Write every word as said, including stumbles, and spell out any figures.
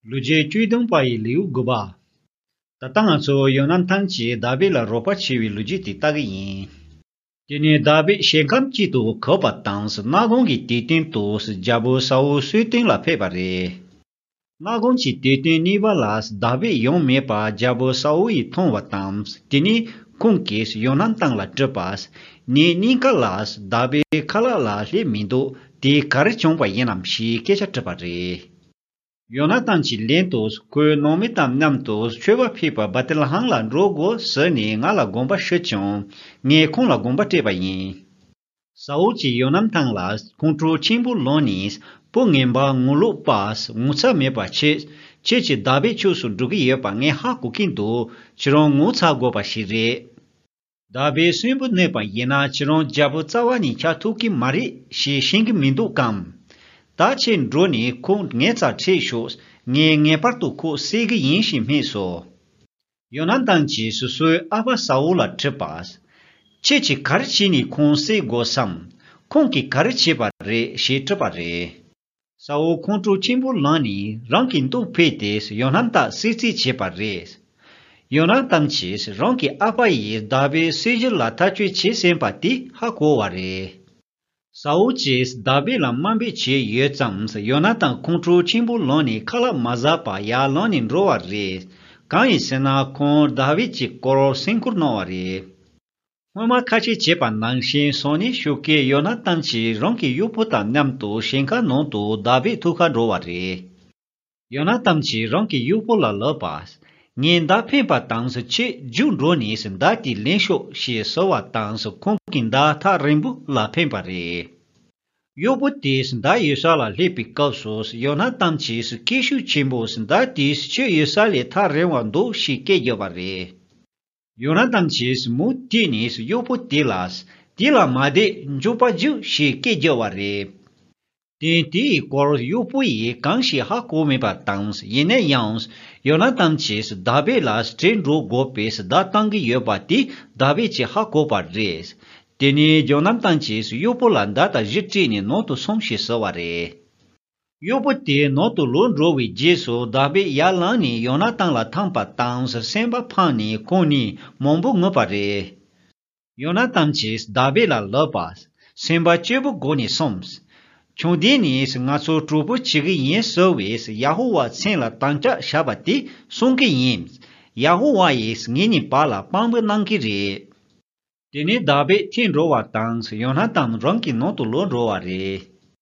ལོ་རྒྱུས་བཅུ་བདུན་པ་ཡི་ལེའུ་དགུ་པ། ད་ལྟ་ང་ཚོ་ཡོ་ནན་ཐན་གྱིས་དཱ་བིད་ལ་རོགས་པ་བྱས་པའི་ལོ་རྒྱུས་དེ་ལྟ་གི་ཡིན། དེ་ནས་དཱ་བིད་ཞིང་ཁམས་དཀྱིལ་དུ་གབ་པ་དང་། གནམ་གང་གི་དུས་སྟོན་དུ་རྒྱལ་པོ་ས་འུལ་གསོལ་སྟོན་ལ་ཕེབས་པ་རེད། གནམ་གང་གི་དུས་སྟོན་གཉིས་པ་ལ་དཱ་བིད་ཡོང་མེད་པ་རྒྱལ་པོ་ས་འུལ་ཡིས་མཐོང་བ་དང་། དེ་ནས་ཁོང་གིས་ཡོ་ནན་ཐན་ལ་དྲིས་པ། ངའི་སྙིང་ག་ལ་དཱ་བིད་ཁ་ལག་ལ་སླེབས་མི་འདུག་དེ་ག་རེ་བྱུང་བ་ཡིན་ནམ་ཞེས་སྐད་ཆ་དྲིས་པ་རེད། ཡོ་ནན་ཐན་གྱིས་ལན་དུ། ཁོས་ནང་མི་དང་མཉམ་དུ་མཆོད་པ་ཕུལ་བར་བེད་ལེ་ཧེམ་ལ་འགྲོ་དགོས་ཟེར་ནས་ང་ལ་དགོངས་པ་ཞུས་ཀྱང་། ངས་ཁོང་ལ་དགོངས་པ་སྤྲད་པ་ཡིན། ས་འུལ་གྱིས་ཡོ་ནན་ཐན་ལ་ཁོང་ཁྲོ་ཆེན་པོ་ལངས་ནས། བུ་ངན་པ་ངོ་ལོག་པ། ངོ་ཚ་མེད་པ་བྱས། ཁྱེད་ཀྱིས་དཱ་བིད་ཕྱོགས་སུ་འགྲོ་གི་ཡོད་པ་ངས་ཧ་གོ་གི་འདུག་ཁྱེད་རང་ངོ་ཚ་དགོས་པ་ཞིག་རེད། དཱ་བིད་གསོན་པོ་གནས་པ་ཡིན་ན་ཁྱེད་རང་རྒྱལ་པོ་རྩ་བ་ནས་ཆགས་ཐུབ་ཀྱི་མ་རེད་ཞེས་ཤེས་ཀྱི་མི་འདུག་གམ། ད་ཁྱེད་འགྲོ་ནས་ཁོང་ངའི་རྩར་ཁྲིད་ཤོག་ངས་ངེས་པར་དུ་ཁོ་བསད་ཀྱི་ཡིན་ཞེས་སྨྲས་སོ། ཡོ་ནན་ཐན་གྱིས་སོ་སོའི་ཨ་ཕ་ས་འུལ་ལ་དྲིས་པ། ཁྱེད་ཀྱིས་ག་རེ་བྱས་ནས་ཁོང་བསད་དགོས་སམ། ཁོང་གིས་ག་རེ་བྱས་པ་རེད་ཞེས་དྲིས་པ་རེད། ས་འུལ་ཁོང་ཁྲོ་ཆེན་པོ་ལངས་ནས་རང་གི་མདུང་ཕུད་དེ་ཡོ་ནན་ཐན་བསད་རྩིས་བྱས་པ་རེད། ཡོ་ནན་ཐན་གྱིས་རང་གི་ཨ་ཕ་ཡིས་དཱ་བིད་བསད་རྒྱུ་ལ་ཐག་གཅོད་བྱས་ཟིན་པ་དེ་ཧ་གོ་བ་རེད། ས་འུལ་གྱིས་དཱ་བིད་ལ་དམའ་འབེབས་བྱས་ཡོད་ཙང་ཡོ་ནན་ཐན་ཁོང་ཁྲོ་ཆེན་པོ་ལངས་ནས་ཁ་ལག་མ་ཟ་བར་ཡར་ལངས་ནས་འགྲོ་བ་རེད། གང་ཡིན་ཟེར་ན་ཁོང་དཱ་བིད་ཀྱི་སྐོར་སེམས་ཁུར་གནང་བ་རེད། སྔོན་མ་ཁ་ཆད་བྱས་པ་ནང་བཞིན་སང་ཉིན་ཞོགས་ཀས་ཡོ་ནན་ཐན་གྱིས་རང་གི་གཡོག་པོ་དང་མཉམ་དུ་ཞིང་ཁ་ནང་དུ་དཱ་བིད་ཐུག་གར་འགྲོ་བ་རེད། ཡོ་ནན་ཐན་གྱིས་རང་གི་གཡོག་པོ་ལ་ལབ་པ། ངས་མདའ་འཕེན་པ་དང་ཁྱེད་རྒྱུགས་འགྲོ་ནས་མདའ་དེ་ལེན་ཤོག་ཞེས་ཟེར་བ་དང་ཁོང་གིས་མདའ་ཐག་རིང་པོ་ལ་འཕེན་པ་རེད། གཡོག་པོ་དེས་མདའ་ཡོད་ས་ལ་སླེབས་པའི་སྐབས་སུ་ཡོ་ནན་ཐན་གྱིས་སྐད་ཤུགས་ཆེན་པོས་མདའ་དེ་ཁྱོད་ཡོད་ས་ལས་ཐག་རིང་བ་འདུག་ཞེས་སྐད་བརྒྱབ་པ་རེད། ཡོ་ནན་ཐན་གྱིས་མུ་མཐུད་ནས་གཡོག་པོ་དེ་ལ། དེ་ལ་མ་བསྡད་མགྱོགས་པར་རྒྱུགས་ཞེས་སྐད་བརྒྱབ་པ་རེད། དོན་དེའི་སྐོར་གཡོག་པོ་ཡིས་གང་ཞིག་ཧ་གོ་མེད་པ་དང་ཡིན་ན་ཡང་། ཡོ་ནན་ཐན་གྱིས་དཱ་བིད་ལ་བྲོས་འགྲོ་དགོས་པའི་བརྡ་བཏང་གི་ཡོད་པ་དེ་དཱ་བིད་ཀྱིས་ཧ་གོ་བ་རེད། དེ་ནས་ཡོ་ནན་ཐན་གྱིས་གཡོག་པོ་ལ་མདའ་དང་གཞུ་སྤྲད་ནས་ནང་དུ་སོང་ཞེས་ཟེར་བ་རེད། གཡོག་པོ་དེ་ནང་དུ་ལོག་འགྲོ་བའི་རྗེས་སུ་དཱ་བིད་ཡར་ལངས་ནས་ཡོ་ནན་ཐན་ལ་འཐམས་པ་དང་སེམས་པ་ཕངས་ནས་ཁོང་གཉིས་མང་པོ་ངུས་པ་རེད། ཡོ་ནན་ཐན་གྱིས་དཱ་བིད་ལ་ལབ་པ། སེམས་པ་སྐྱིད་པོ་སྒོ་ནས་སོང་། ཆུང་དུས་ནས་ང་ཚོ་གྲོགས་པོ་བྱེད་ཀྱི་ཡིན་ཟེར་བས་ཡ་ཧོ་ཝཱ་མཚན་ལ་དམ་བཅའ་བཞག་པ་དེ་སྲུང་གི་ཡིན། ཡ་ཧོ་ཝཱ་ཡིས་ངེད་གཉིས་བར་ལ་དཔང་པོ་གནང་གི་རེད། དེ་ནས་དཱ་བིད་ཐལ་འགྲོ་བ་དང་ཡོ་ནན་ཐན་རང་གི་ནང་དུ་ལོག་འགྲོ་བ་རེད།